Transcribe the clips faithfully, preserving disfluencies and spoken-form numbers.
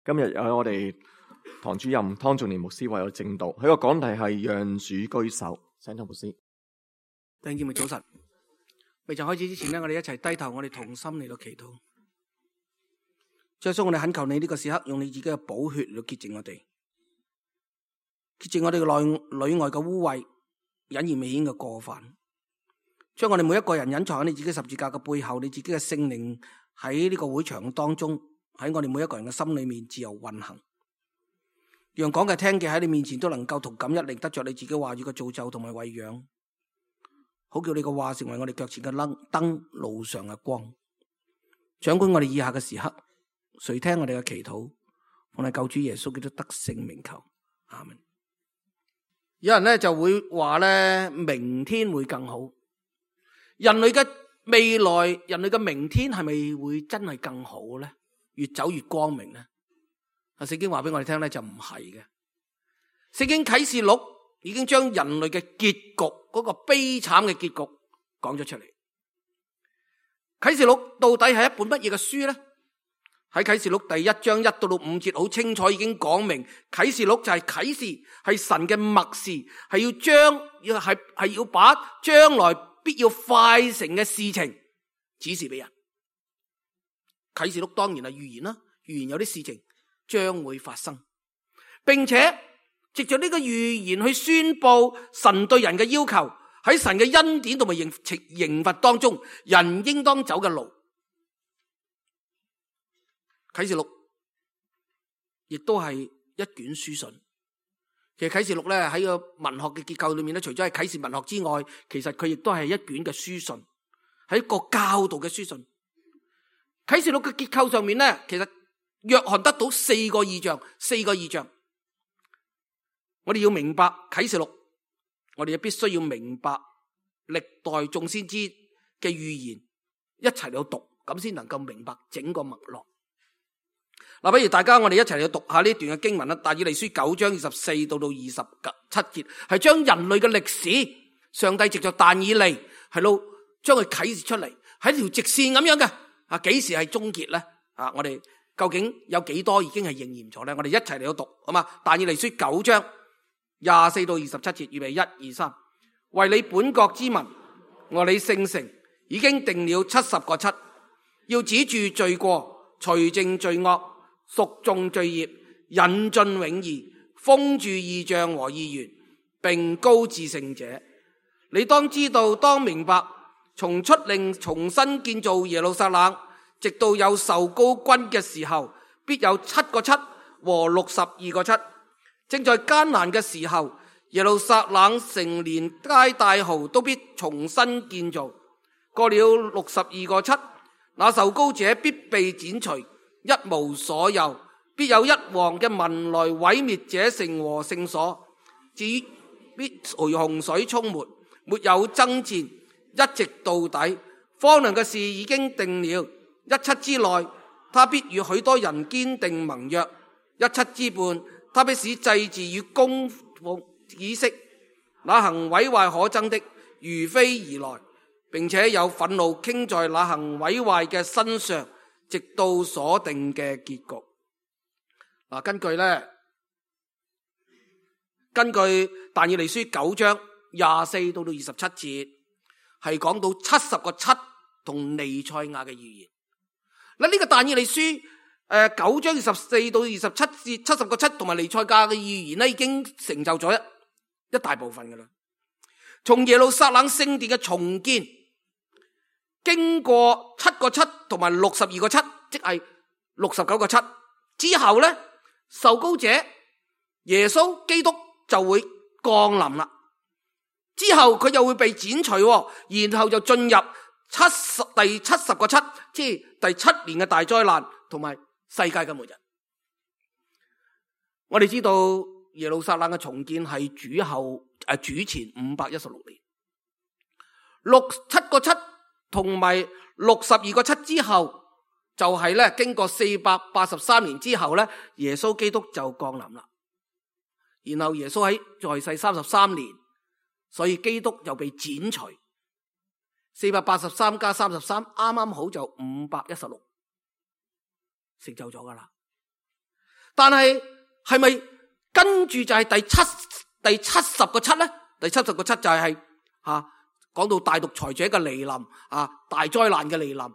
今日有我哋堂主任湯仲年牧師為我證道，佢個講題係讓主居首。請湯牧師。弟兄姊妹早晨，未曾開始之前呢，我哋一齊低頭，我哋同心嚟到祈禱。主耶穌，我哋懇求你呢個時刻，用你自己嘅寶血嚟到潔淨我哋，潔淨我哋嘅內裏外嘅污穢、隱而未顯嘅過犯，將我哋每一個人隱藏喺你自己十字架嘅背後，你自己嘅聖靈喺呢個會場當中，喺我哋每一個人嘅心裏面自由運行，讓講嘅聽嘅喺你面前都能夠同感一靈，得着你自己話語嘅造就同埋餵養，好叫你嘅話成為我哋腳前嘅燈，路上嘅光。掌管我哋以下嘅時刻，垂聽我哋嘅祈禱，奉你救主耶穌基督得勝名求，阿們。有人咧就會話咧，明天會更好。人類嘅未來，人類嘅明天係咪會真係更好咧？越走越光明咧？啊，聖經話俾我哋聽咧，就唔係嘅。聖經啟示錄已經將人類嘅結局，嗰個悲慘嘅結局講咗出嚟。啟示錄到底係一本乜嘢嘅書咧？喺啟示錄第一章一到到五節好清楚已經講明，啟示錄就係啟示，係神嘅默示，係要將要係係要把將來必要快成嘅事情指示俾人。啟示錄當然係預言啦，預言有啲事情將會發生，並且藉着呢個預言去宣布神對人嘅要求，喺神嘅恩典同埋刑刑罰當中，人應當走嘅路。啟示錄亦都係一卷書信。其實啟示錄咧喺個文學嘅結構裏面咧，除咗係啟示文學之外，其實佢亦都係一卷嘅書信，係一個教導嘅書信。啟示錄嘅結構上面咧，其實約翰得到四個異象，四個異象。我哋要明白啟示錄，我哋就必須要明白歷代眾先知嘅預言，一齊嚟讀，咁先能夠明白整個脈絡。嗱，不如大家我哋一齊嚟讀下呢段嘅經文啦。但以理書九章二十四到到二十七節，係將人類嘅歷史，上帝藉着但以理係咯，將佢啟示出嚟，喺條直線咁樣嘅。啊，幾時係終結咧？啊，我哋究竟有幾多已經係應驗咗咧？我哋一齊嚟讀，好嘛？但以理書九章廿四到二十七節，預備一二三，為你本國之民和你聖城已經定了七十個七，要止住罪過，除淨罪惡，贖種罪孽，引進永義，封住異象和異言，並高至聖者。你當知道，當明白，從出令重新建造耶路撒冷，直到有受膏君嘅時候，必有七個七和六十二個七。正在艱難嘅時候，耶路撒冷城連街帶濠都必重新建造。過了六十二個七，那受膏者必被剪除，一無所有，必有一王嘅民來毀滅這城和聖所。至於必隨洪水沖沒，沒有爭戰，一直到底。荒涼嘅事已經定了，一七之內，他必與許多人堅定盟約；一七之半，他必使祭祀與供奉止息。那行毀壞可憎的，如飛而來，並且有憤怒傾在那行毀壞嘅身上，直到所定嘅結局。嗱，根據咧，根據但以理書九章廿四到到二十七節，係講到七十個七同彌賽亞嘅預言。嗱，呢個但以理書誒九章二十四到二十七節，七十個七同埋彌賽亞嘅預言咧，已經成就咗一一大部分噶啦。從耶路撒冷聖殿嘅重建，經過七個七同埋六十二個七，即係六十九個七之後咧，受膏者耶穌基督就會降臨啦。之後佢又會被剪除，然後就進入七十第七十個七，即係第七年嘅大災難同埋世界嘅末日。我哋知道耶路撒冷嘅重建係主後誒主前五百一十六年，六七個七同埋六十二個七之後，就係咧經過四百八十三年之後咧，耶穌基督就降臨啦。然後耶穌喺在，在世三十三年，所以基督又被剪除。四百八十三加三十三，啱啱好就五百一十六，成就咗噶啦。但係係咪跟住就係第七第七十個七咧？第七十個七就係係啊講到大獨裁者嘅來臨啊，大災難嘅來臨。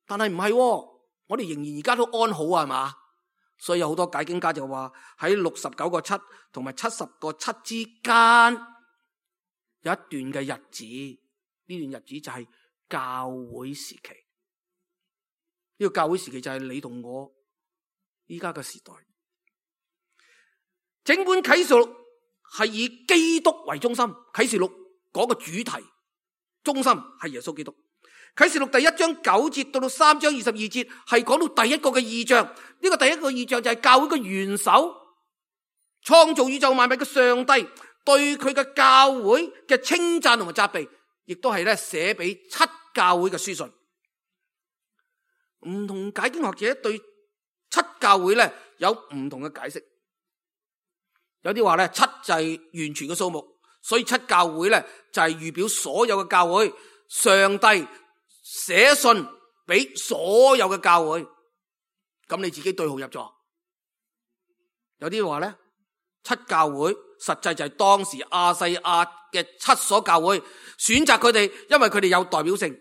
但係唔係，我哋仍然而家都安好啊，係嘛？所以有好多解經家就話喺六十九個七同埋七十個七之間有一段嘅日子，呢段日子就係教會時期。呢個教會時期就係你同我依家嘅時代。整本啟示錄係以基督為中心，啟示錄嗰個主題中心係耶穌基督。啟示錄第一章九節到到三章二十二節係講到第一個嘅異象，呢個第一個異象就係教會嘅元首，創造宇宙萬物嘅上帝對佢嘅教會嘅稱讚同埋責備，亦都係咧寫俾七教會嘅書信。唔同解經學者對七教會咧有唔同嘅解釋，有啲話咧七就係完全嘅數目，所以七教會咧就係預表所有嘅教會，上帝寫信俾所有嘅教會，咁你自己對號入座。有啲話咧，七教會實際就係當時亞細亞嘅七所教會，選擇佢哋，因為佢哋有代表性。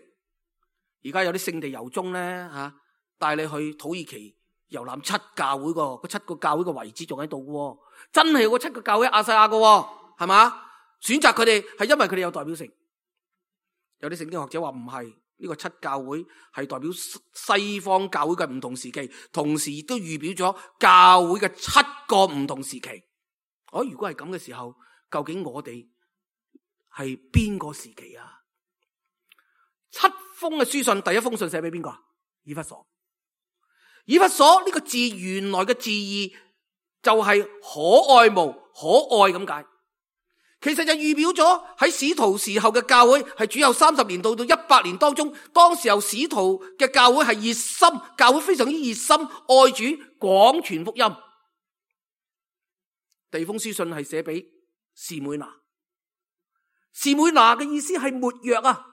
而家有啲聖地遊蹤咧吓，帶你去土耳其遊覽七教會個，嗰七個教會嘅遺址仲喺度嘅，真係有個七個教會亞細亞嘅，係嘛？選擇佢哋係因為佢哋有代表性。有啲聖經學者話唔係。呢個七教會係代表西方教會嘅唔同時期，同時亦都預表咗教會嘅七個唔同時期。哦，如果係咁嘅時候，究竟我哋係邊個時期啊？七封嘅書信，第一封信寫俾邊個？以弗所。以弗所呢個字原來嘅字義就係可愛慕、可愛咁解。其實就預表咗喺使徒時候嘅教會係主後三十年到到一百年當中，當時候使徒嘅教會係熱心，教會非常之熱心，愛主，廣傳福音。第二封書信係寫俾士每拿，士每拿嘅意思係沒藥啊，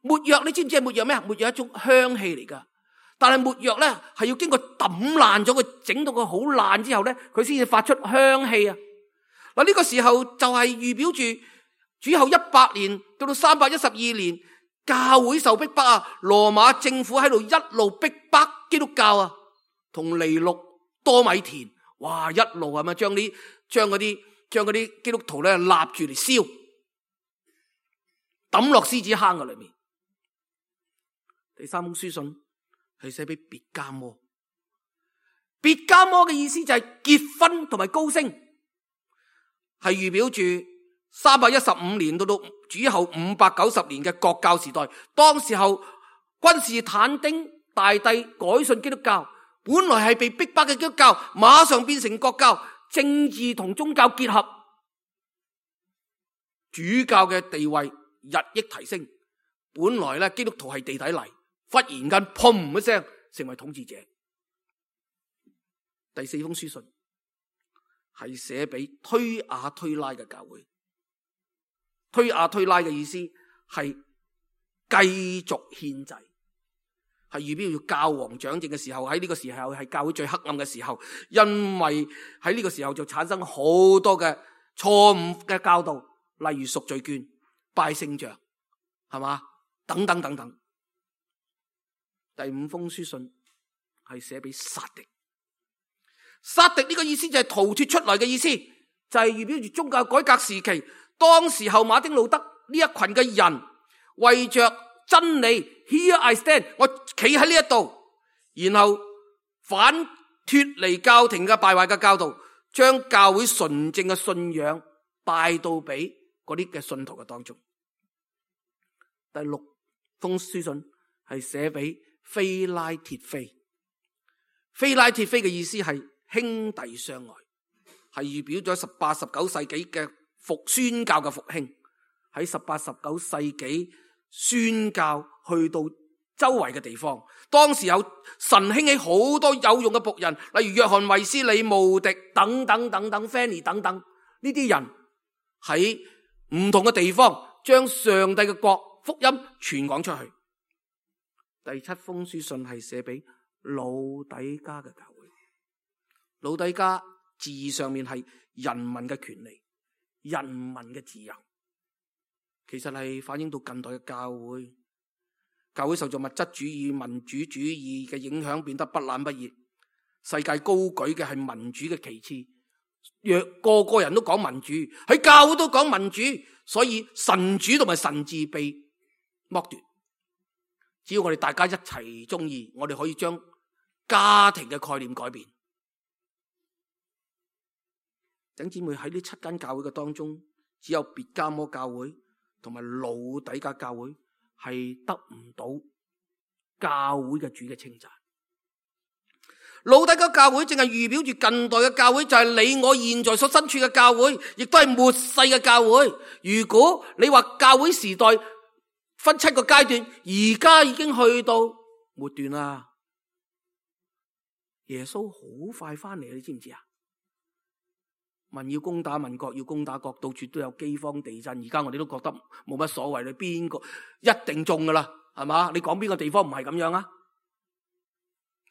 沒藥你知唔知係沒藥咩？沒藥係一種香氣嚟噶，但係沒藥咧係要經過抌爛咗佢，整到佢好爛之後咧，佢先至發出香氣啊。嗱，呢個時候就係預表住主後一百年到到三百一十二年，教會受逼迫啊，羅馬政府喺度一路逼迫基督教啊，同尼祿多米田，哇，一路係咪將啲將嗰啲將嗰啲基督徒咧立住嚟燒，抌落獅子坑嘅裏面。第三封書信係寫俾別迦摩，別迦摩嘅意思就係結婚同埋高升。係預表住三百一十五年到到主後五百九十年嘅國教時代，當時候君士坦丁大帝改信基督教，本來係被逼迫嘅基督教，馬上變成國教，政治同宗教結合，主教嘅地位日益提升。本來咧基督徒係地底泥，忽然間砰一聲成為統治者。第四封書信係寫俾推雅推拉嘅教會，推雅推拉嘅意思係繼續獻祭，係預表要教皇掌政嘅時候，喺呢個時候係教會最黑暗嘅時候，因為喺呢個時候就產生好多嘅錯誤嘅教導，例如贖罪券、拜聖像，係嘛？等等等等。第五封書信係寫俾撒狄。撒狄呢個意思就係逃脫出來嘅意思，就係預表住宗教改革時期，當時候馬丁路德呢一群嘅人為着真理 ，Here I stand， 我企喺呢一度，然後反脫離教廷嘅敗壞嘅教導，將教會純正嘅信仰帶到俾嗰啲嘅信徒嘅當中。第六封書信係寫俾非拉鐵非，非拉鐵非嘅意思係兄弟相愛，係預表咗十八、十九世紀嘅復宣教嘅復興。喺十八、十九世紀宣教去到周圍嘅地方，當時有神興起好多有用嘅僕人，例如約翰衛斯理、慕迪等等等等 Fanny 等等，呢啲人喺唔同嘅地方將上帝嘅國福音傳講出去。第七封書信係寫俾老底嘉嘅教會。老底嘉字上面係人民嘅權利、人民嘅自由，其實係反映到近代嘅教會。教會受咗物質主義、民主主義嘅影響，變得不冷不熱。世界高舉嘅係民主嘅旗幟，若個個人都講民主，喺教會都講民主，所以神主同埋神治被剝奪。只要我哋大家一齊中意，我哋可以將家庭嘅概念改變。弟兄姊妹，喺呢七間教會嘅當中，只有別迦摩教會同埋老底嘉教會係得唔到教會嘅主嘅稱讚。老底嘉教會正係預表住近代嘅教會，就係你我現在所身處嘅教會，亦都係末世嘅教會。如果你話教會時代分七個階段，而家已經去到末段啦。耶穌好快翻嚟，你知唔知啊？民要攻打民，國要攻打國，到處都有饑荒地震。而家我哋都覺得冇乜所謂，你邊個一定中噶啦，係嘛？你講邊個地方唔係咁樣啊？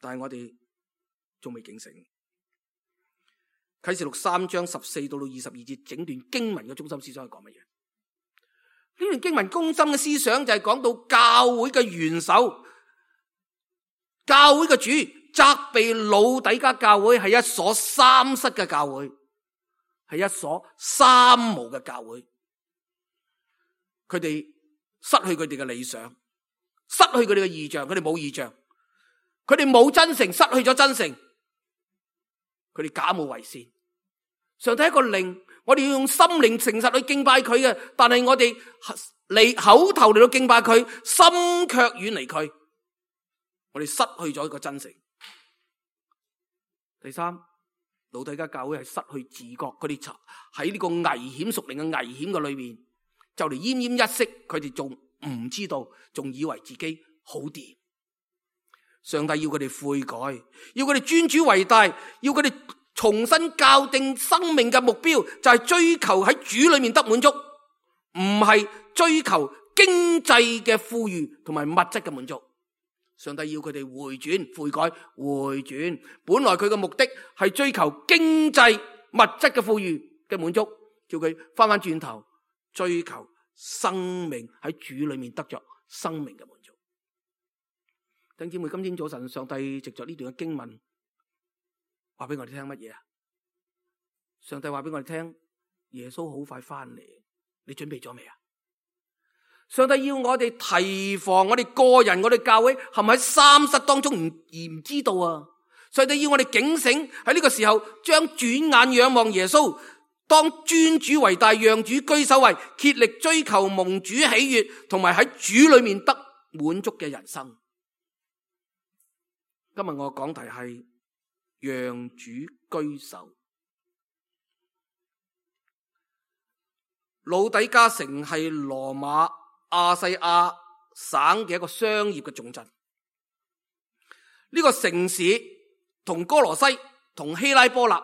但係我哋仲未警醒。啟示錄三章十四到到二十二節，整段經文嘅中心思想係講乜嘢？呢段經文中心嘅思想就係講到教會嘅元首、教會嘅主責備老底嘉教會係一所三失嘅教會，係一所三無嘅教會。佢哋失去佢哋嘅理想，失去佢哋嘅異象，佢哋冇異象，佢哋冇真誠，失去咗真誠，佢哋假冒為善。上帝一個靈，我哋要用心靈誠實去敬拜佢嘅，但係我哋嚟口頭嚟到敬拜佢，心卻遠離佢，我哋失去咗一個真誠。第三，老底嘉教會係失去自覺，佢哋喺呢個危險屬靈嘅危險嘅裏面，就嚟奄奄一息，佢哋仲唔知道，仲以為自己好掂。上帝要佢哋悔改，要佢哋尊主為大，要佢哋重新校定生命嘅目標，就係追求喺主裏面得滿足，唔係追求經濟嘅富裕同埋物質嘅滿足。上帝要佢哋回轉、悔改、回轉。本來佢嘅目的係追求經濟物質嘅富裕嘅滿足，叫佢翻翻轉頭追求生命喺主裏面得着生命嘅滿足。弟兄姊妹，今天早晨上帝藉着呢段嘅經文話俾我哋聽乜嘢啊？上帝話俾我哋聽，耶穌好快翻嚟，你準備咗未啊？上帝要我哋提防我哋個人、我哋教會係咪喺三失當中唔而唔知道啊？上帝要我哋警醒，喺呢個時候將轉眼仰望耶穌，當尊主為大，讓主居首位，竭力追求蒙主喜悅，同埋喺主裏面得滿足嘅人生。今日我講題係讓主居首。老底嘉城係羅馬亞細亞省嘅一個商業嘅重鎮。呢個城市同哥羅西同希拉波納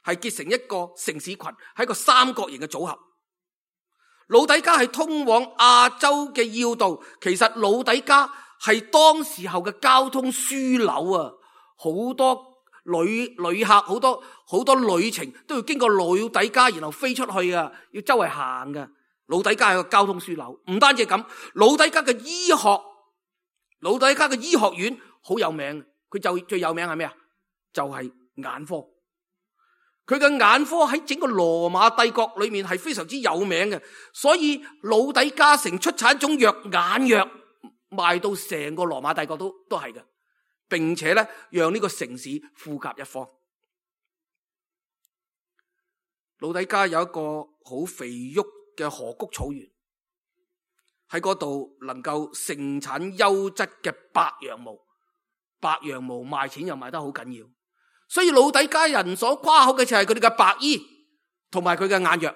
係結成一個城市群，係一個三角形嘅組合。老底嘉係通往亞洲嘅要道，其實老底嘉係當時候嘅交通樞紐啊！好多旅旅客，好多好多旅程都要經過老底嘉，然後飛出去啊！要周圍行噶。老底嘉係個交通樞紐，唔單止係咁，老底嘉嘅醫學，老底嘉嘅醫學院好有名。佢就最有名係咩啊？就係眼科。佢嘅眼科喺整個羅馬帝國裏面係非常之有名嘅，所以老底嘉城出產一種藥，眼藥賣到成個羅馬帝國都都係嘅，並且咧讓呢個城市富甲一方。老底嘉有一個好肥沃嘅河谷草原，喺嗰度能夠盛產優質嘅白羊毛，白羊毛賣錢又賣得好緊要，所以老底嘉人所誇口嘅就係佢哋嘅白衣同埋佢嘅眼藥。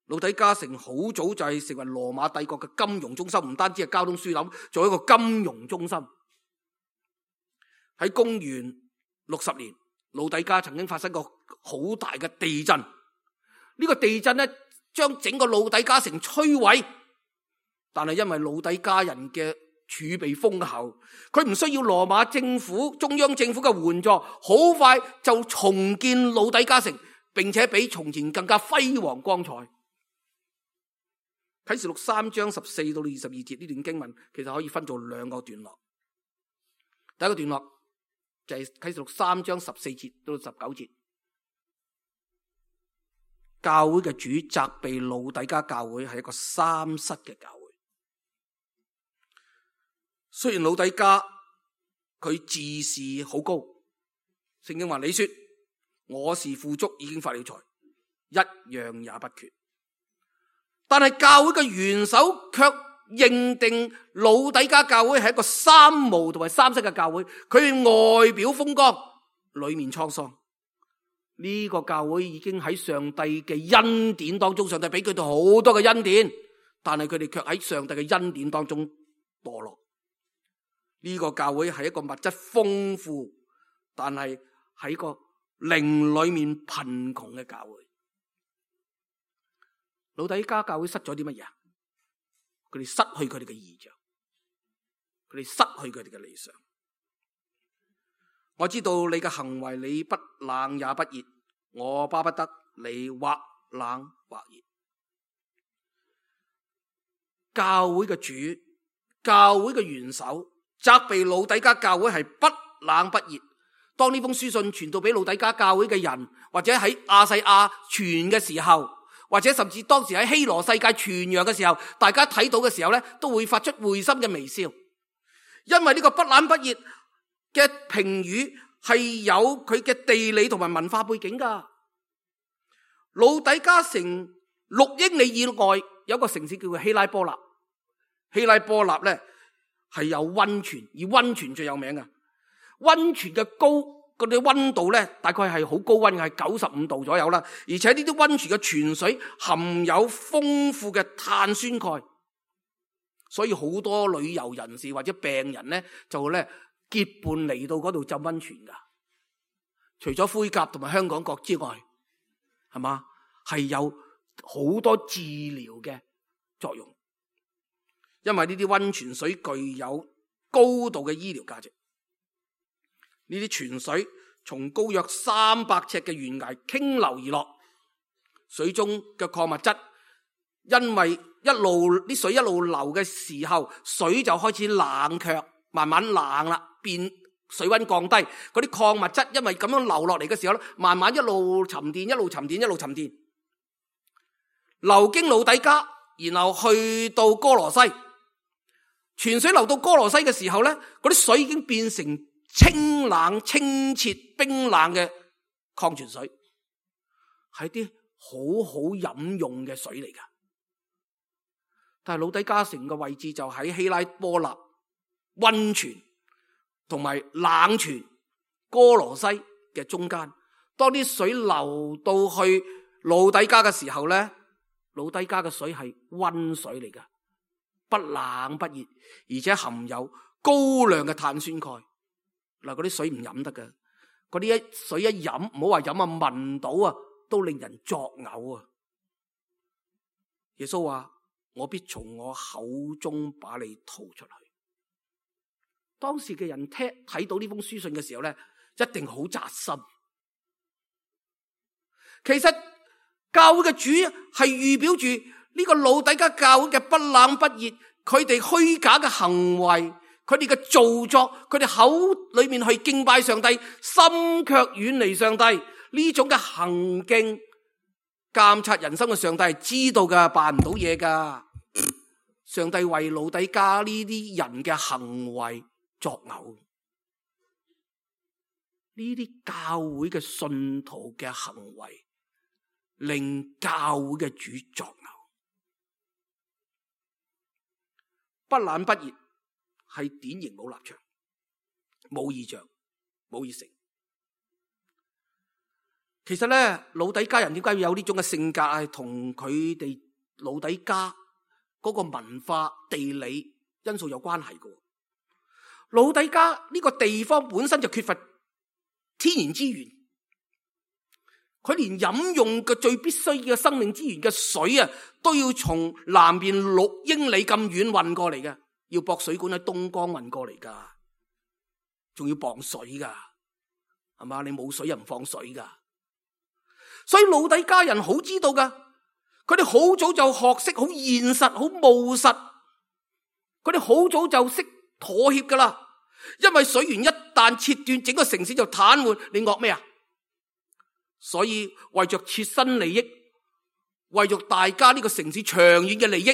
老底嘉城好早就係成為羅馬帝國嘅金融中心，唔單止係交通樞紐，做一個金融中心。喺公元六十年，老底嘉曾經發生過好大嘅地震。呢個地震咧，將整個老底嘉城摧毀，但係因為老底嘉人嘅儲備豐厚，佢唔需要羅馬政府、中央政府嘅援助，好快就重建老底嘉城，並且比從前更加輝煌光彩。啟示錄三章十四到二十二節呢段經文，其實可以分做兩個段落。第一個段落就係啟示錄三章十四節到十九節，教會嘅主責備老底嘉教會係一個三失嘅教會。雖然老底嘉佢自視好高，聖經話你說我是富足，已經發了財，一樣也不缺。但係教會嘅元首卻認定老底嘉教會係一個三無同埋三失嘅教會，佢外表風光，裏面滄桑。呢、這個教會已經喺上帝嘅恩典當中，上帝俾佢哋好多嘅恩典，但係佢哋卻喺上帝嘅恩典當中墮落。呢、這個教會係一個物質豐富，但係喺個靈裏面貧窮嘅教會。老底嘉教會失咗啲乜嘢？佢哋失去佢哋嘅異象，佢哋失去佢哋嘅理想。我知道你嘅行為，你不冷也不熱，我巴不得你或冷或熱。教會嘅主，教會嘅元首責備老底嘉教會係不冷不熱。當呢封書信傳到俾老底嘉教會嘅人，或者喺亞細亞傳嘅時候，或者甚至當時喺希羅世界傳揚嘅時候，大家睇到嘅時候咧，都會發出會心嘅微笑，因為呢個不冷不熱嘅評語係有佢嘅地理同埋文化背景噶。老底嘉城六英里以外有一個城市叫做希拉波納，希拉波納咧係有溫泉，以溫泉最有名嘅。溫泉嘅高嗰啲溫度咧，大概係好高溫嘅，係九十五度左右啦。而且呢啲溫泉嘅泉水含有豐富嘅碳酸鈣，所以好多旅遊人士或者病人咧就咧結伴嚟到嗰度浸溫泉噶。除咗灰甲同埋香港角之外，係嘛，係有好多治療嘅作用，因為呢啲溫泉水具有高度嘅醫療價值。呢啲泉水從高約三百尺嘅懸崖傾流而落，水中嘅礦物質因為一路啲水一路流嘅時候，水就開始冷卻，慢慢冷啦，變水溫降低，嗰啲礦物質因為咁樣流落嚟嘅時候咧，慢慢一路沉澱，一路沉澱，一路沉澱，流經老底嘉，然後去到哥羅西。泉水流到哥羅西嘅時候咧，嗰啲水已經變成清冷、清澈、冰冷嘅礦泉水，係啲好好飲用嘅水嚟噶。但係老底嘉城嘅位置就喺希拉波納溫泉同埋冷泉哥羅西嘅中間。當啲水流到去老底嘉嘅時候咧，老底嘉嘅水係溫水嚟噶，不冷不熱，而且含有高量嘅碳酸鈣。嗱，嗰啲水唔飲得噶，嗰啲一水一飲，唔好話飲啊，聞到啊都令人作嘔啊！耶穌話：我必從我口中把你吐出去。當時嘅人聽睇到呢封書信嘅時候咧，一定好扎心。其實教會嘅主係預表住呢個老底嘉教會嘅不冷不熱，佢哋虛假嘅行為，佢哋嘅造作，佢哋口裏面去敬拜上帝，心卻遠離上帝，呢種嘅行徑，監察人生嘅上帝係知道噶，辦唔到嘢噶。上帝為老底嘉呢啲人嘅行為作嘔，呢啲教會嘅信徒嘅行為令教會嘅主作嘔。不冷不熱係典型冇立場、冇異象、冇熱誠。其實咧，老底嘉人點解要有呢種嘅性格，係同佢哋老底嘉嗰個文化、地理因素有關係嘅。老底嘉呢個地方本身就缺乏天然資源，佢連飲用嘅最必須嘅生命資源嘅水啊，都要從南邊六英里咁遠運過嚟嘅。要駁水管喺東江運過嚟噶，仲要磅水噶，係嘛？你冇水又唔放水噶，所以老底嘉人好知道噶，佢哋好早就學識好現實、好務實，佢哋好早就識妥協噶啦。因為水源一旦切斷，整個城市就癱瘓，你惡咩啊？所以為着切身利益，為着大家呢個城市長遠嘅利益，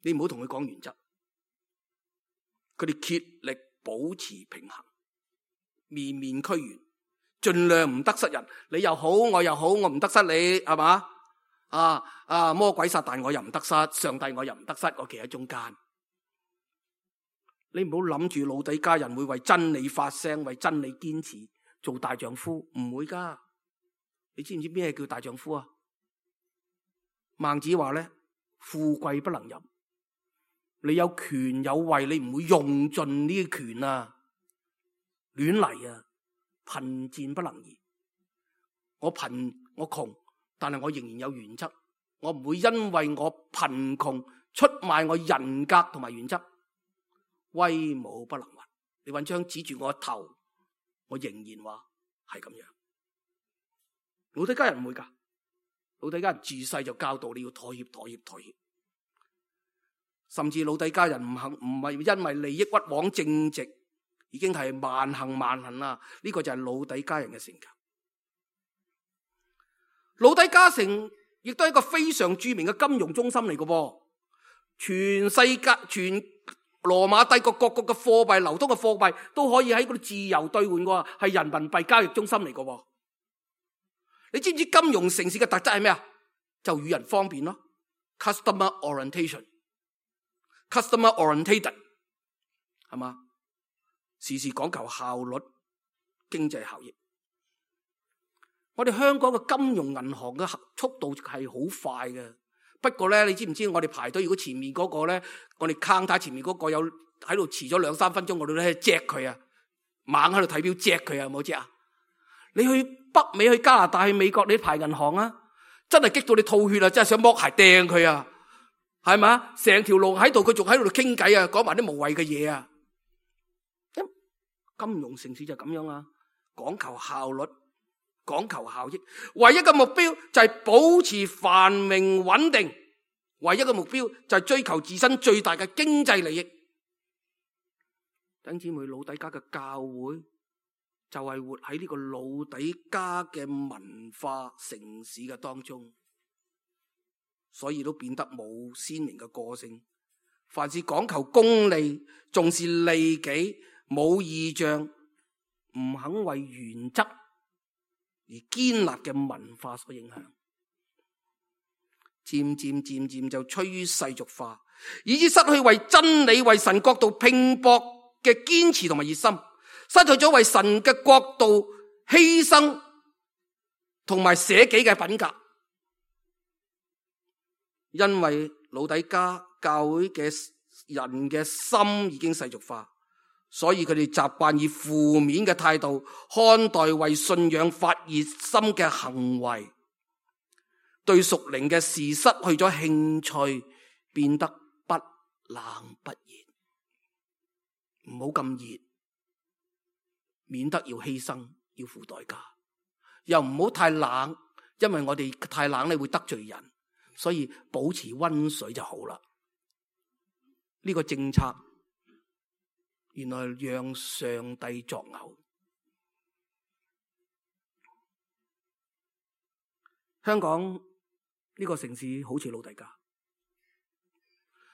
你唔好同佢講原則，佢哋竭力保持平衡，面面俱圓，盡量唔得失人。你又好，我又好，我唔得失你，係嘛？啊啊！魔鬼撒旦我又唔得失，上帝我又唔得失，我企喺中間。你唔好諗住老底嘉人會為真理發聲，為真理堅持，做大丈夫，唔會噶。你知唔知咩叫大丈夫啊？孟子話咧：富貴不能淫。你有權有位，你唔會用盡呢啲權啊，亂嚟啊！貧賤不能移。我貧我窮，但係我仍然有原則。我唔會因為我貧窮出賣我人格同埋原則。威武不能屈。你揾槍指住我頭，我仍然話係咁樣。老底嘉人唔會噶，老底嘉人自細就教導你要妥協、妥協、妥協。甚至老底嘉人唔肯，唔係因為利益屈枉正直，已經係萬幸萬幸啦。呢個就係老底嘉人嘅性格。老底嘉城亦都係一個非常著名嘅金融中心嚟嘅噃，全世界全羅馬帝國各國嘅貨幣流通嘅貨幣都可以喺嗰度自由兌換嘅，係人民幣交易中心嚟嘅。你知唔知金融城市嘅特質係咩啊？就與人方便咯 ，customer orientation，customer orientated， 係嘛？時時講求效率、經濟效益。我哋香港嘅金融銀行嘅速度係好快嘅，不過咧，你知唔知我哋排隊？如果前面嗰個咧，我哋 counter 前面嗰個有喺度遲咗兩三分鐘，我哋咧 check 佢啊，猛喺度睇表 check 佢啊，有冇 check 啊？你去北美、去加拿大、去美國，你排銀行啊，真係激到你吐血啊！真係想剝鞋掟佢啊，係咪？成條路喺度，佢仲喺度傾偈啊，講埋啲無謂嘅嘢啊！金融城市就咁樣啊，講求效率，講求效益，唯一嘅目標就係保持繁榮穩定，唯一嘅目標就係追求自身最大嘅經濟利益。弟兄姊妹，老底嘉嘅教會就係活喺呢個老底嘉嘅文化城市嘅當中，所以都變得冇鮮明嘅個性。凡是講求功利，重視利己，冇異象，唔肯為原則而堅立嘅文化所影響，漸漸漸漸就趨於世俗化，以致失去為真理、為神國度拼搏嘅堅持同埋熱心，失去咗為神嘅國度犧牲同埋捨己嘅品格。因為老底嘉教會嘅人嘅心已經世俗化，所以佢哋習慣以負面嘅態度看待為信仰發熱心嘅行為，對屬靈嘅事失去咗興趣，變得不冷不熱。唔好咁熱，免得要犧牲，要付代價。又唔好太冷，因為我哋太冷咧會得罪人，所以保持溫水就好啦。呢個政策原來讓上帝作嘔。香港呢個城市好似老底嘉，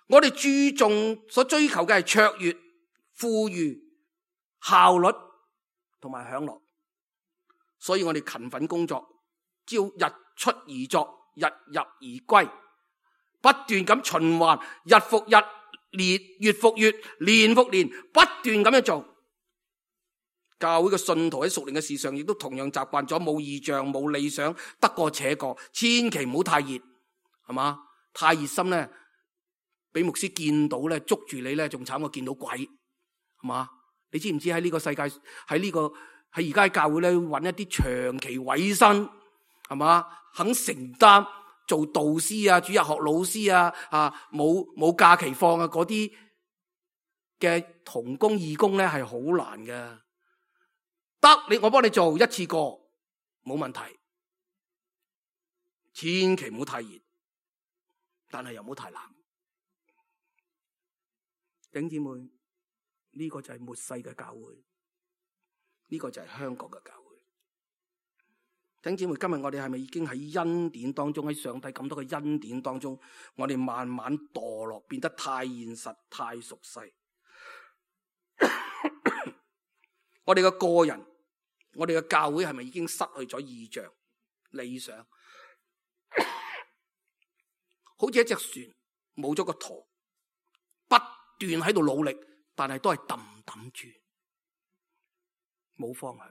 我哋注重所追求嘅係卓越、富裕、效率同埋享樂，所以我哋勤奮工作，朝日出而作，日入而歸，不斷咁循環，日復日，年月復月，年復年，不斷咁樣做。教會嘅信徒喺屬靈嘅事上，亦都同樣習慣咗冇異象、冇理想，得過且過，千祈唔好太熱，係嘛？太熱心咧，俾牧師見到咧，捉住你咧，仲慘過見到鬼，係嘛？你知唔知喺呢個世界，喺呢個喺而家喺教會咧，揾一啲長期委身，係嘛？肯承擔做導師啊、主日學老師啊、啊冇冇假期放啊嗰啲嘅同工義工咧係好難嘅。得你我幫你做一次過冇問題，千祈唔好太熱，但係又唔好太冷。弟兄姊妹，呢個就係末世嘅教會，呢個就係香港嘅教會。弟兄姊妹，今日我哋係咪已經喺恩典當中，喺上帝咁多嘅恩典當中，我哋慢慢墮落，變得太現實、太熟悉？我哋嘅個人，我哋嘅教會係咪已經失去咗意象、理想？好似一隻船冇咗個舵，不斷喺度努力，但係都係揼揼住，冇方向。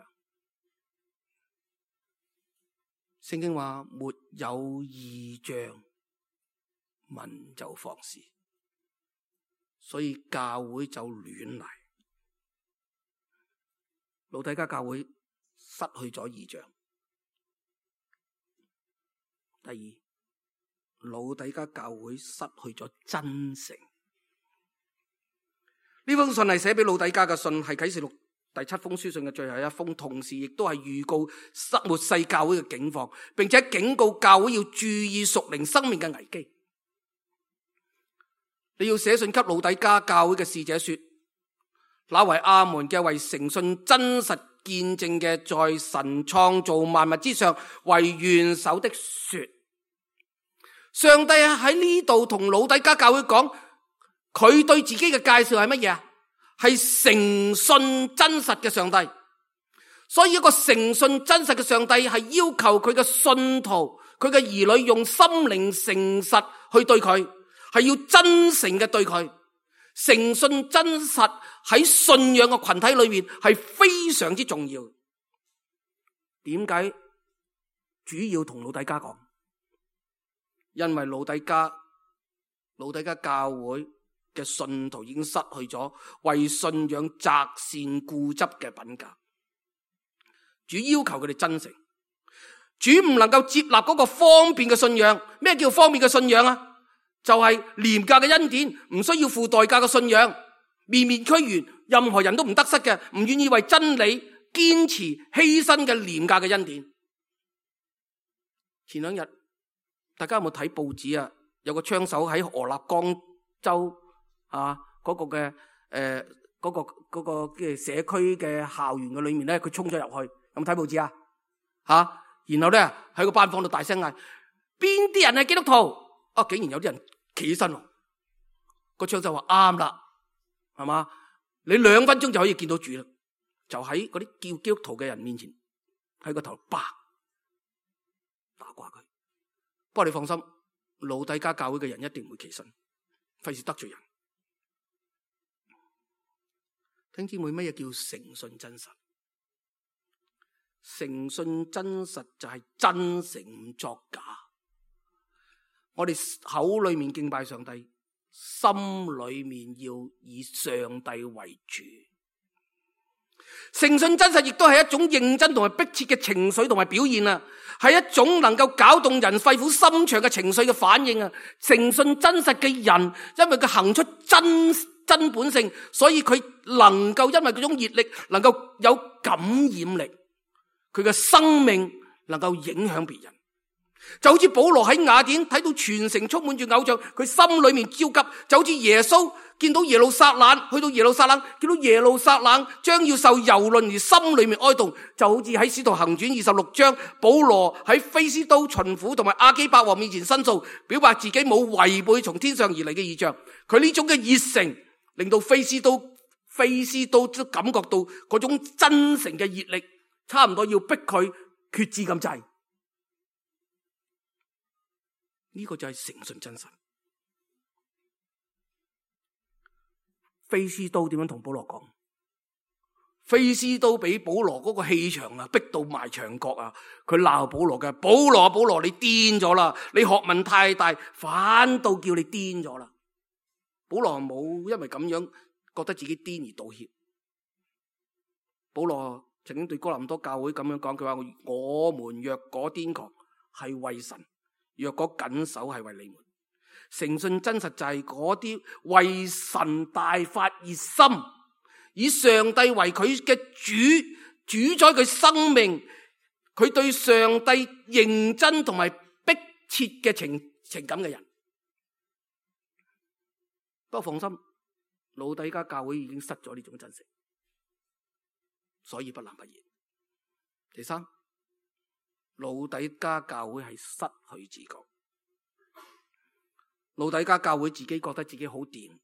聖經話沒有異象，民就放肆，所以教會就亂嚟。老底嘉教會失去咗異象。第二，老底嘉教會失去咗真誠。呢封信係寫俾老底嘉嘅信，係啟示錄第七封書信嘅最後一封，同時亦都係預告末世教會嘅境況，並且警告教會要注意屬靈生命嘅危機。你要寫信給老底嘉教會嘅使者說，那為阿門嘅，為誠信真實見證嘅，在神創造萬物之上為元首的說，上帝喺呢度同老底嘉教會講，佢對自己嘅介紹係乜嘢啊？係誠信真實嘅上帝。所以一個誠信真實嘅上帝係要求佢嘅信徒、佢嘅兒女用心靈誠實去對佢，係要真誠嘅對佢。誠信真實喺信仰嘅群體裏面係非常之重要。點解主要同老底嘉講？因為老底嘉老底嘉教會嘅信徒已經失去咗為信仰擇善固執嘅品格。主要求佢哋真誠，主唔能夠接納嗰個方便嘅信仰。咩叫方便嘅信仰啊？就係廉價嘅恩典，唔需要付代價嘅信仰，面面俱圓，任何人都唔得失嘅，唔願意為真理堅持犧牲嘅廉價嘅恩典。前兩日大家有冇睇報紙啊？有個槍手喺俄勒岡州啊嗰、嗰個嘅誒嗰個嗰、嗰個嘅社區嘅校園嘅裏面咧，佢衝咗入去。有冇睇報紙啊？吓、啊，然後咧喺個班房度大聲嗌：邊啲人係基督徒？啊，竟然有啲人企起身，個槍手話啱啦，係嘛？你兩分鐘就可以見到主啦，就喺嗰啲叫基督徒嘅人面前，喺個頭啪打掛佢。不過你放心，老底嘉教會嘅人一定唔會企身，費事得罪人。聽姊妹，乜嘢叫誠信真實？誠信真實就係真誠唔作假。我哋口裏面敬拜上帝，心裏面要以上帝為主。誠信真實亦都係一種認真同埋迫切嘅情緒同埋表現啊，係一種能夠搞動人肺腑心腸嘅情緒嘅反應啊。誠信真實嘅人，因為佢行出真真本性，所以佢能夠因為嗰種熱力，能夠有感染力，佢嘅生命能夠影響別人。就好似保羅喺雅典睇到全城充滿住偶像，佢心裏面焦急；就好似耶穌見到耶路撒冷，去到耶路撒冷見到耶路撒冷將要受蹂躪而心裏面哀慟。就好似喺使徒行傳二十六章，保羅喺非斯都巡撫同埋亞基伯王面前申訴，表白自己冇違背從天上而嚟嘅異象。佢呢種嘅熱誠令到非斯都非斯都都感覺到嗰種真誠嘅熱力，差唔多要逼佢決志咁滯。呢個就係誠信真實。非斯都點樣同保羅講？非斯都俾保羅嗰個氣場啊，逼到埋牆角啊！佢鬧保羅嘅，保羅保羅，你癲咗啦！你學問太大，反倒叫你癲咗啦！保羅冇因為咁樣覺得自己癲而道歉。保羅曾經對哥林多教會咁樣講，佢話：我們若果癲狂，係為神。若果謹守係為你們，誠信真實就係嗰啲為神大發熱心，以上帝為佢嘅主，主宰佢生命，佢對上帝認真同埋迫切嘅情情感嘅人。不過放心，老底嘉教會已經失咗呢種真誠，所以不冷不熱。第三，老底嘉教會係失去自覺。老底嘉教會自己覺得自己好掂，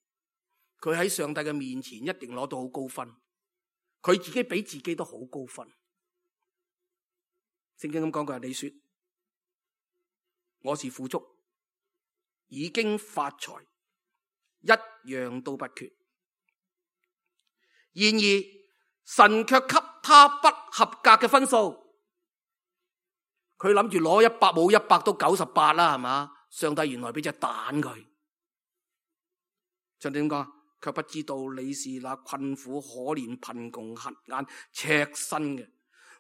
佢喺上帝嘅面前一定攞到好高分，佢自己俾自己都好高分。聖經咁講過，你說我是富足，已經發財，一樣都不缺。然而神卻給他不合格嘅分數，佢諗住攞一百冇一百都九十八啦，係嘛？上帝原來俾隻蛋佢。上帝點講？卻不知道你是那困苦可憐貧窮瞎眼赤身嘅。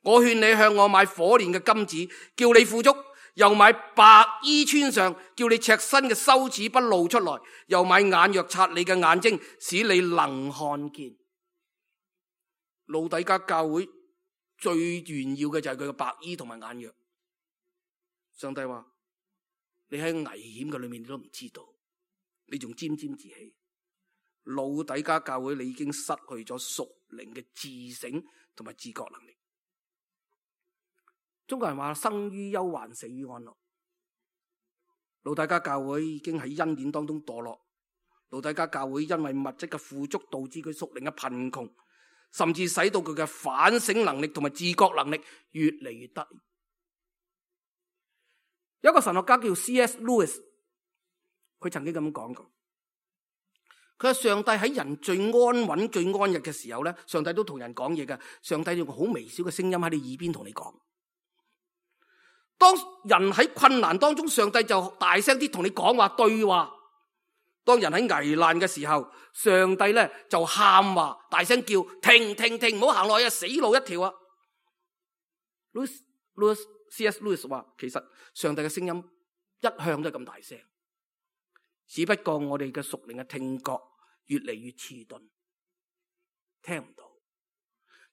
我勸你向我買火煉嘅金子，叫你富足；又買白衣穿上，叫你赤身嘅羞恥不露出來；又買眼藥擦你嘅眼睛，使你能看見。老底嘉教會最炫耀嘅就係佢嘅白衣同埋眼藥。上帝話：你喺危險嘅裏面你都唔知道，你仲沾沾自喜。老底嘉教會你已經失去咗屬靈嘅自省同埋自覺能力。中國人話：生於憂患，死於安樂。老底嘉教會已經喺恩典當中墮落。老底嘉教會因為物質嘅富足導致佢屬靈嘅貧窮，甚至使到佢嘅反省能力同埋自覺能力越嚟越低。有一個神學家叫 C S Lewis， 佢曾經咁講過，佢話上帝喺人最安穩最安逸嘅時候咧，上帝都同人講嘢嘅。上帝用個好微小嘅聲音喺你耳邊同你講。當人喺困難當中，上帝就大聲啲同你講話對話。當人喺危難嘅時候，上帝咧就喊話，大聲叫停停停，唔好行落去啊，死路一條啊。Lewis, Lewis, C S Lewis 話，其實上帝嘅聲音一向都係咁大聲，只不過我哋嘅屬靈嘅聽覺越嚟越遲鈍，聽唔到。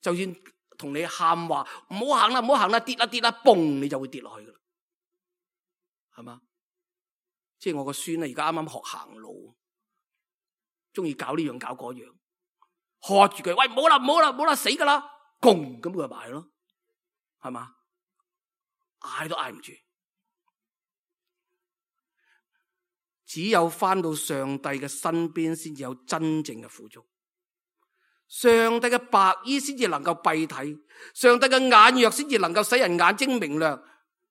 就算同你喊話唔好行啦，唔好行啦，跌啦跌啦，嘣你就會跌落去噶啦，係嘛？即係我個孫咧，而家啱啱學行路，中意搞呢樣搞嗰樣，喝住佢，喂，唔好啦唔好啦唔好啦，死噶啦，嘣咁佢就埋咯，係嘛？嗌都嗌唔住。只有翻到上帝嘅身邊，先至有真正嘅富足。上帝嘅白衣先至能夠蔽體，上帝嘅眼藥先至能夠使人眼睛明亮。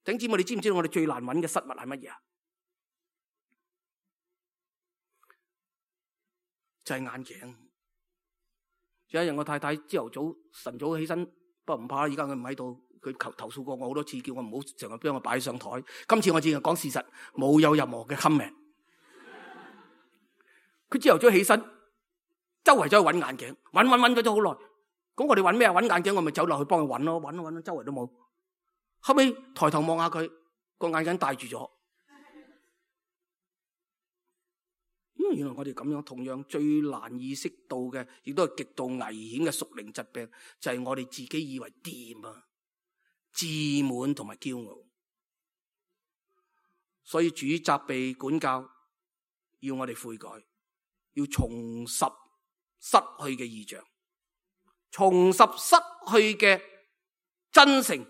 弟兄姊妹，你知唔知道我哋最難揾嘅失物係乜嘢啊？就係眼鏡。有一日我太太朝頭早晨早起身，不過唔怕，而家佢唔喺度，佢投投訴過我好多次，叫我唔好成日俾我擺上台。今次我只係講事實，冇有任何嘅 comment。佢朝頭早起身，周圍走去揾眼鏡，揾揾揾咗咗好耐。咁我哋揾咩啊？揾眼鏡，我咪走落去幫佢揾咯，揾揾周圍都冇。後尾抬頭望下佢，個眼鏡戴住咗。因為原來我哋咁樣，同樣最難意識到嘅，亦都係極度危險嘅屬靈疾病，就係我哋自己以為掂啊，自滿同埋驕傲。所以主責備管教，要我哋悔改。要重拾失去嘅異象，重拾失去嘅真誠，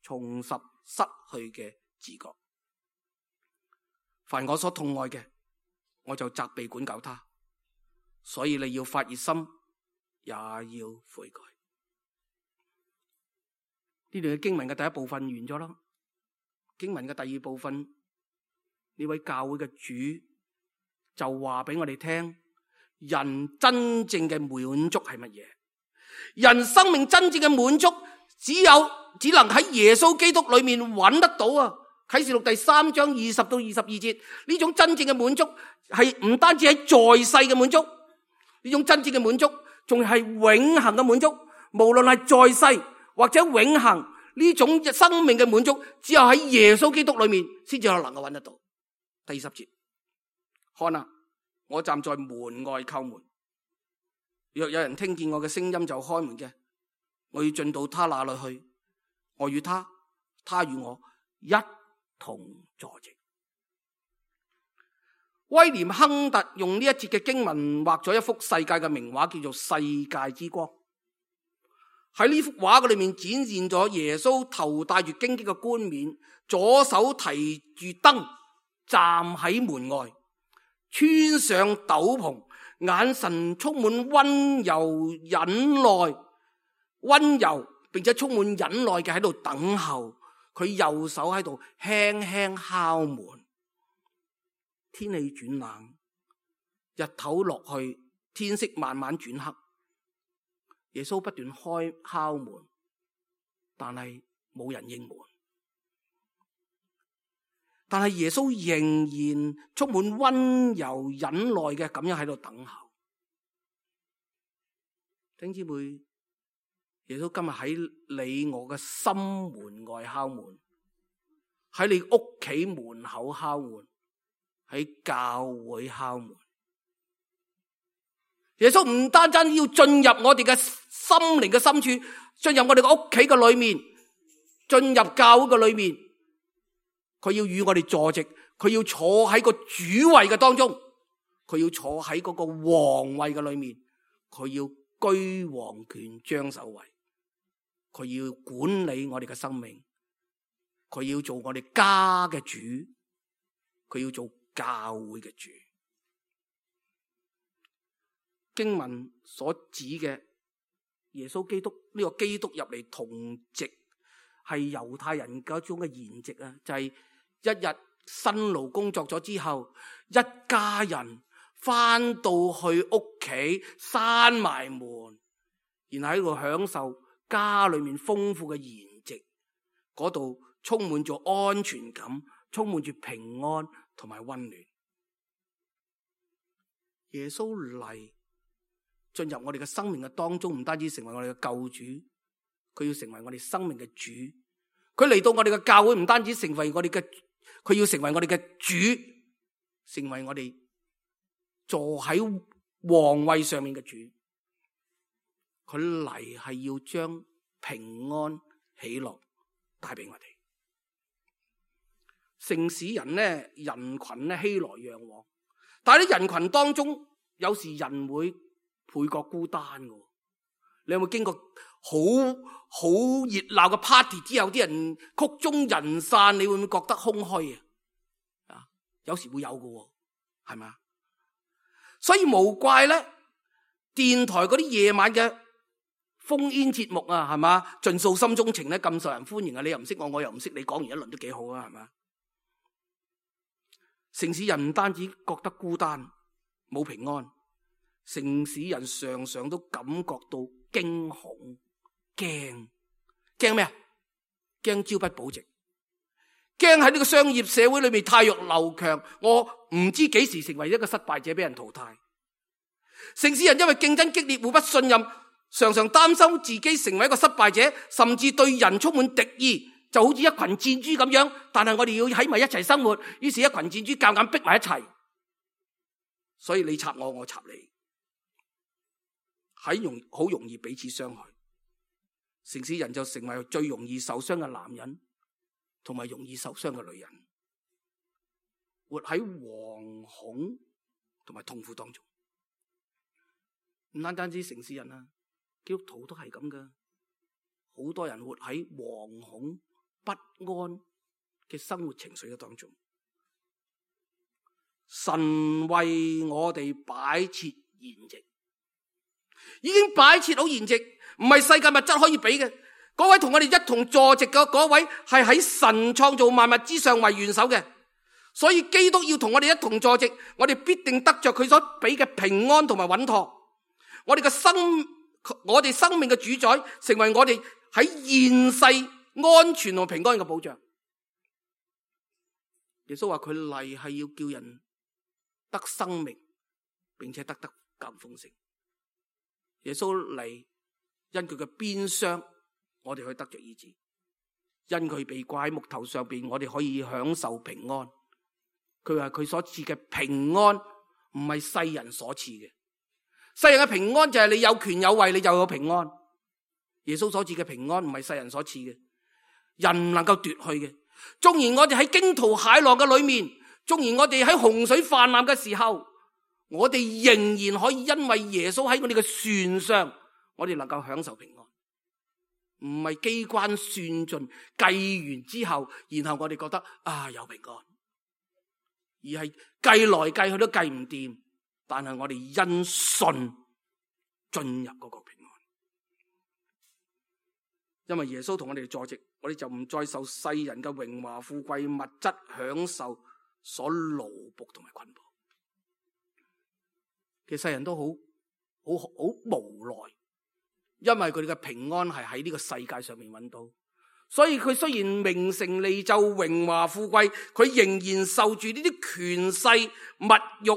重拾失去嘅自覺。凡我所痛愛嘅，我就責備管教他。所以你要發熱心，也要悔改。呢段嘅經文嘅第一部分完咗啦，經文嘅第二部分，呢位教會嘅主就話俾我哋聽，人真正嘅滿足係乜嘢？人生命真正嘅滿足，只有只能喺耶穌基督裏面揾得到啊！啟示錄第三章二十到二十二節，呢種真正嘅滿足係唔單止喺在世嘅滿足，呢種真正嘅滿足仲係永恆嘅滿足。無論係在世或者永恆，呢種生命嘅滿足，只有喺耶穌基督裏面先至有能夠揾得到。第二十節，看啊，我站在門外叩門，若有人聽見我嘅聲音就開門嘅，我要進到他那裏去，我與他，他與我一同坐席。威廉亨特用呢一節嘅經文畫咗一幅世界嘅名畫，叫做《世界之光》。喺呢幅畫嘅裏面展現咗耶穌頭戴住荊棘嘅冠冕，左手提住燈，站喺門外，穿上斗篷，眼神充滿溫柔忍耐，溫柔並且充滿忍耐嘅喺度等候。佢右手喺度輕輕敲門。天氣轉冷，日頭落去，天色慢慢轉黑。耶穌不斷開敲門，但係冇人應門。但係耶穌仍然充滿溫柔忍耐嘅咁樣喺度等候。弟兄姊妹，耶穌今日喺你我嘅心門外敲門，喺你屋企門口敲門，喺教會敲門。耶穌唔單單要進入我哋嘅心靈嘅深處，進入我哋嘅屋企嘅裏面，進入教會嘅裏面，佢要與我哋坐席，佢要坐喺個主位嘅當中，佢要坐喺嗰個皇位嘅裏面，佢要居王權張首位，佢要管理我哋嘅生命，佢要做我哋家嘅主，佢要做教會嘅主。經文所指嘅耶穌基督呢、這個基督入嚟同席，係猶太人嗰種嘅筵席啊，就係、是、一日辛勞工作咗之後，一家人翻到去屋企閂埋門，然後喺度享受家裏面豐富嘅筵席，嗰度充滿咗安全感，充滿住平安同埋溫暖。耶穌嚟進入我哋嘅生命嘅當中，唔單止成為我哋嘅救主，佢要成為我哋生命嘅主。佢嚟到我哋嘅教會，唔單止成為我哋嘅，佢要成為我哋嘅主，成為我哋坐喺皇位上面嘅主。佢嚟係要將平安喜樂帶俾我哋。城市人呢，人群呢，熙來攘往，但係喺人群當中，有時人會倍覺孤單嘅。你有冇經過好好熱鬧嘅 party 之後，啲人曲終人散，你會唔會覺得空虛啊？啊，有時會有嘅，係咪啊？所以無怪咧，電台嗰啲夜晚嘅烽煙節目啊，係嘛，盡訴心中情咧，咁受人歡迎啊！你又唔識我，我又唔識你，講完一輪都幾好啊，係嘛？城市人唔單止覺得孤單冇平安，城市人常常都感覺到驚恐、驚驚咩啊？驚朝不保夕，驚喺呢個商業社會裏面汰弱留強，我唔知幾時成為一個失敗者，俾人淘汰。城市人因為競爭激烈，互不信任，常常擔心自己成為一個失敗者，甚至對人充滿敵意，就好似一群箭豬咁樣。但係我哋要喺埋一齊生活，於是一群箭豬夾硬逼埋一齊，所以你插我，我插你，喺容好容易彼此傷害。城市人就成為最容易受傷嘅男人，同埋容易受傷嘅女人，活喺惶恐同埋痛苦當中。唔單單止城市人啊，基督徒都係咁噶。好多人活喺惶恐不安嘅生活情緒嘅當中。神為我哋擺設筵席，已經擺設好筵席，唔係世界物質可以比嘅。嗰位同我哋一同坐席嘅嗰位係喺神創造萬物之上為元首嘅，所以基督要同我哋一同坐席，我哋必定得着佢所俾嘅平安同埋穩妥。我哋嘅生，我哋生命嘅主宰，成為我哋喺現世安全同平安嘅保障。耶穌話佢嚟係要叫人得生命，並且得得更豐盛。耶穌嚟因佢嘅鞭傷，我哋可以得着醫治。因佢被掛喺木頭上邊，我哋可以享受平安。佢話佢所賜嘅平安唔係世人所賜嘅，世人嘅平安就係你有權有位，你就有平安。耶穌所賜嘅平安唔係世人所賜嘅，人唔能夠奪去嘅。縱然我哋喺驚濤駭浪嘅裏面，縱然我哋喺洪水泛濫嘅時候，我哋仍然可以因為耶穌喺我哋嘅船上，我哋能夠享受平安。唔係機關算盡計完之後，然後我哋覺得啊有平安，而係計來計去都計唔掂，但係我哋因信進入嗰個平安。因為耶穌同我哋坐席，我哋就唔再受世人嘅榮華富貴物質享受所奴僕同埋捆綁。其實世人都好好好無奈，因為佢哋嘅平安係喺呢個世界上面揾到，所以佢雖然名成利就榮華富貴，佢仍然受住呢啲權勢物欲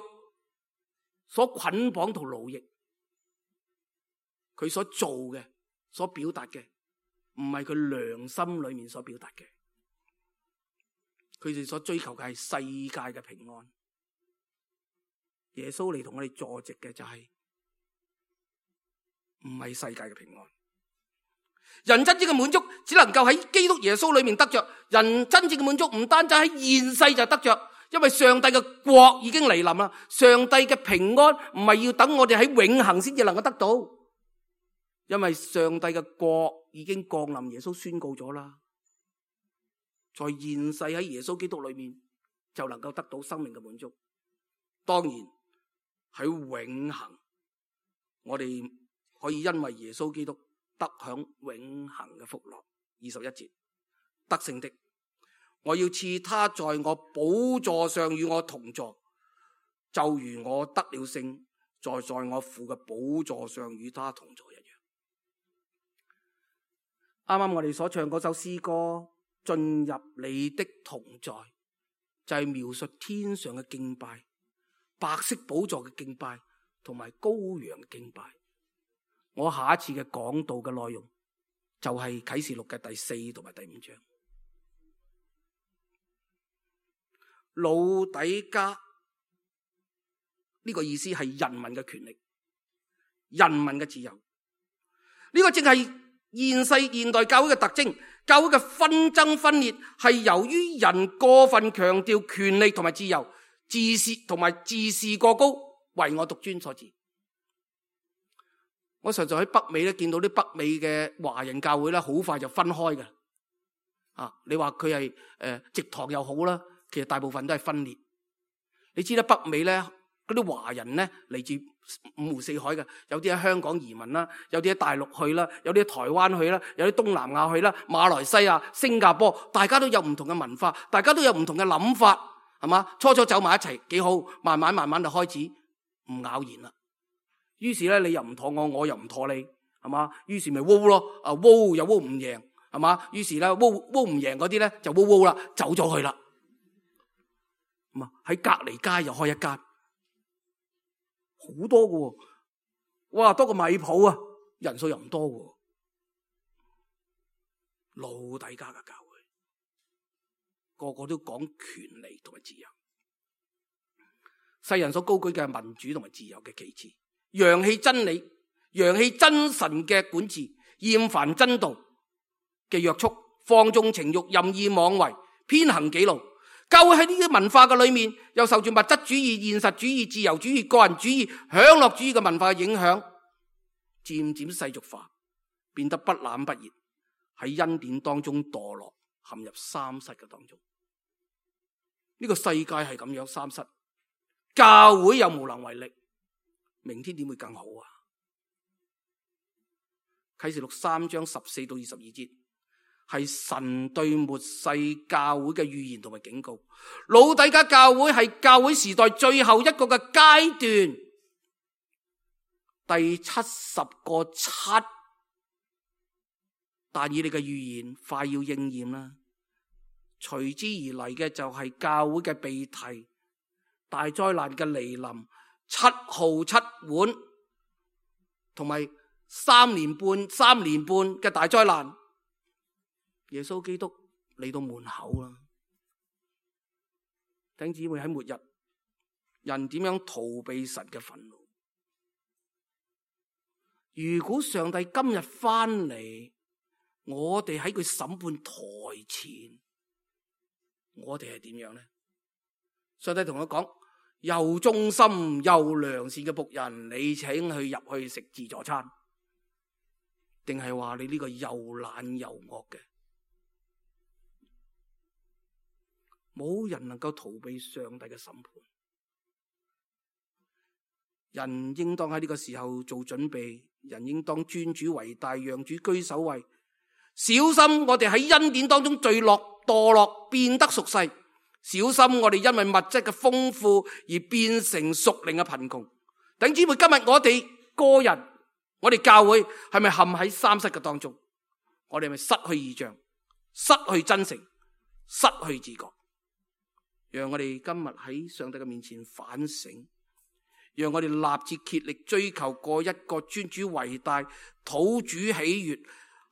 所捆綁同奴役。佢所做嘅、所表達嘅唔係佢良心裏面所表達嘅，佢哋所追求嘅係世界嘅平安。耶穌嚟同我哋坐席嘅就係唔係世界嘅平安。人真正嘅滿足只能夠喺基督耶穌裏面得着。人真正嘅滿足唔單止喺現世就得着，因為上帝嘅國已經嚟臨啦。上帝嘅平安唔係要等我哋喺永恆先至能夠得到，因為上帝嘅國已經降臨，耶穌宣告咗啦。在現世喺耶穌基督裏面就能夠得到生命嘅滿足。當然喺永恆，我哋可以因為耶穌基督得享永恆嘅福樂。二十一節，得勝的，我要賜他在我寶座上與我同坐，就如我得了勝，在在我父嘅寶座上與他同坐一樣。啱啱我哋所唱嗰首詩歌，進入你的同在，就係描述天上嘅敬拜，白色寶座嘅敬拜，同埋羔羊嘅敬拜。我下一次嘅講道嘅內容就係啟示錄嘅第四同埋第五章。老底嘉呢個意思係人民嘅權力、人民嘅自由。呢個正係現世現代教會嘅特徵。教會嘅紛爭分裂係由於人過分強調權力同埋自由，自視同埋自視過高，唯我獨尊所致。我實在喺北美咧見到啲北美嘅華人教會咧，好快就分開嘅。啊，你話佢係誒直堂又好啦，其實大部分都係分裂。你知啦，北美咧嗰啲華人咧嚟自五湖四海嘅，有啲喺香港移民啦，有啲喺大陸去啦，有啲喺台灣去啦，有啲東南亞去啦，馬來西亞、新加坡，大家都有唔同嘅文化，大家都有唔同嘅諗法，係嘛？初初走埋一齊幾好，慢慢慢慢就開始唔咬弦啦。於是咧，你又唔妥我，我又唔妥你，係嘛？於是咪窩咯，啊窩又窩唔贏，係嘛？於是咧，窩窩唔贏嗰啲咧就窩窩啦，走咗去啦。咁啊喺隔離街又開一間。好多嘅，哇，多過米埔啊，人數又唔多嘅。老底嘉嘅教會，個個都講權利同埋自由，世人所高舉嘅民主同埋自由嘅旗幟，揚棄真理，揚棄真神嘅管治，厭煩真道嘅約束，放縱情慾，任意妄為，偏行己路。教會喺呢啲文化嘅裏面，又受住物質主義、現實主義、自由主義、個人主義、享樂主義嘅文化嘅影響，漸漸世俗化，變得不冷不熱，喺恩典當中墮落，陷入三失嘅當中。呢個世界係咁樣三失，教會又無能為力，明天點會更好啊？啟示錄三章十四到二十二節。係神對末世教會嘅預言同埋警告。老底嘉教會係教會時代最後一個嘅階段，第七十個七，但以理嘅預言快要應驗啦。隨之而嚟嘅就係教會嘅被提，大災難嘅來臨，七號七碗，同埋三年半三年半嘅大災難。耶穌基督嚟到門口啦。弟兄姊妹，喺末日，人點樣逃避神嘅憤怒？如果上帝今日翻嚟，我哋喺佢審判台前，我哋係點樣呢？上帝同佢講：又忠心又良善嘅僕人，你請佢入去食自助餐，定係話你呢個又懶又惡嘅？冇人能夠逃避上帝嘅審判。人應當喺呢個時候做準備，人應當尊主為大，讓主居首位。小心我哋喺恩典當中墜落墮落，變得屬世。小心我哋因為物質嘅豐富而變成屬靈嘅貧窮。弟兄姊妹，今日我哋個人，我哋教會係咪陷喺三失嘅當中？我哋係咪失去異象、失去真誠、失去自覺？讓我哋今日喺上帝嘅面前反省，讓我哋立志竭力追求過一個尊主為大、討主喜悅，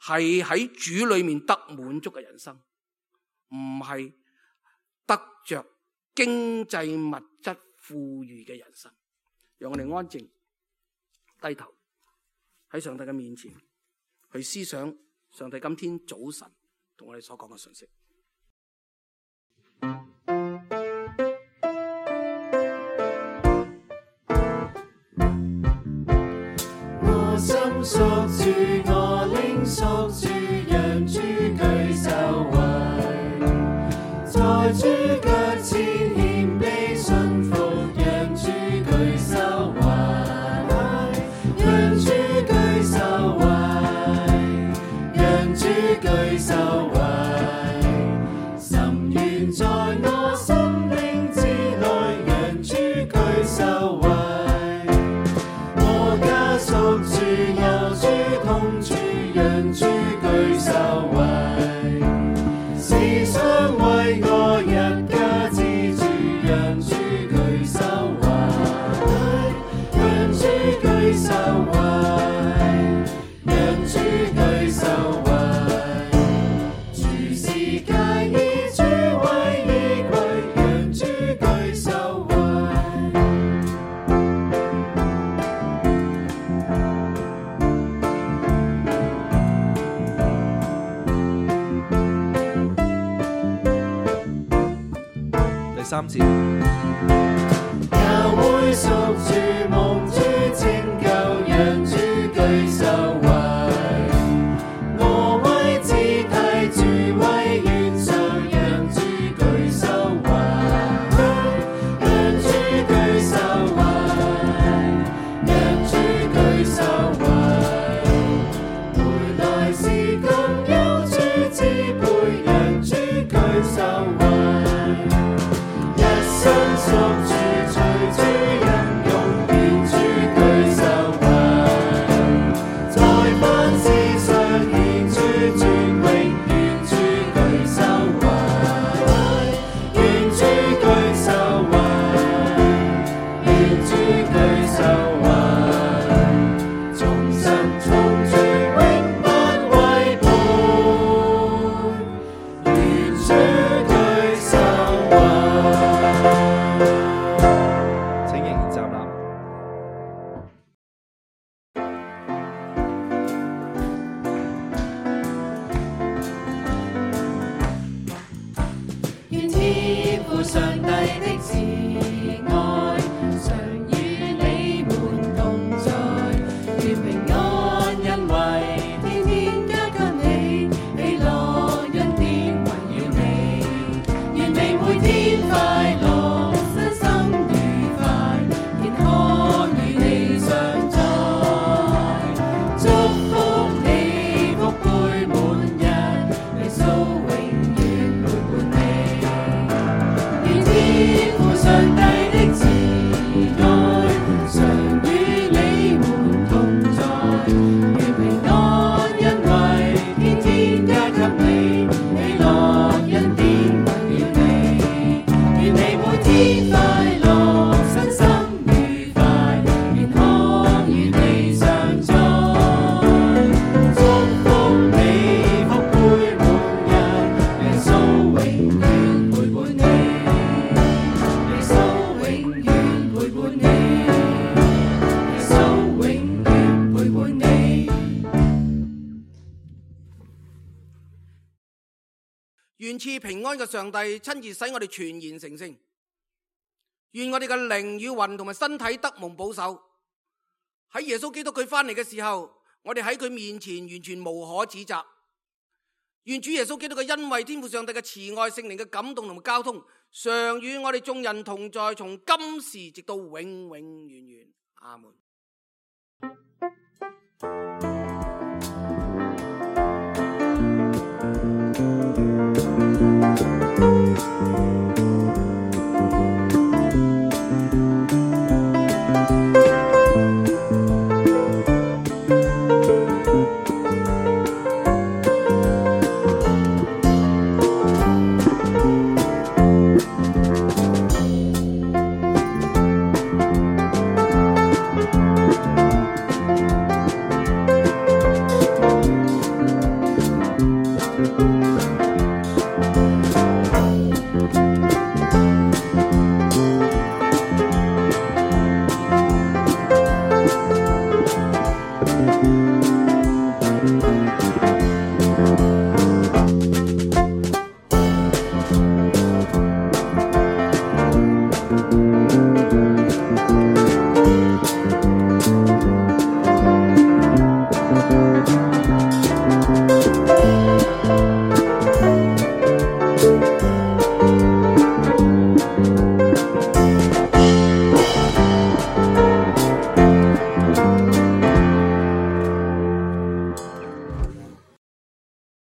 係喺主裏面得滿足嘅人生，唔係得着經濟物質富裕嘅人生。讓我哋安靜低頭喺上帝嘅面前去思想上帝今天早晨同我哋所講嘅信息。我心屬主，我靈屬主，讓主居首位，在主腳前謙卑順服，讓主居首位，讓主居首位，讓主居首位，心願在我心靈之內，讓主居首位。屬主有主同住，讓主居首位，時常為我一家之主，讓主居首位，讓主居首位，讓主居首位，主是佳衣，主為衣櫃，讓主居首位。三節，教會屬主，蒙主拯救，讓主居首位。我為肢體，主為元首，讓主居首位，讓主居首位，讓主居首位。回來時共有主支配，讓主居首位。身屬主，隨主任用，願主居首位，在萬事上獻主尊榮，願主居首位，願主居首位，願主居首位，眾神從主永不違背，願主居首位。上帝的慈愛常與你們同在，願平安恩惠天天加給你，喜樂恩典圍繞你，願你每天快樂，身心愉快，健康與你常在，祝福你福杯滿溢，耶穌永遠陪伴你。天父願賜平安嘅上帝親自使我哋全然成聖，願我哋嘅靈與魂同埋身體得蒙保守。喺耶穌基督佢翻嚟嘅時候，我哋喺佢面前完全無可指責。願主耶穌基督嘅恩惠、天父上帝嘅慈愛、聖靈嘅感動同埋交通，常與我哋眾人同在，從今時直到永永遠遠。阿門。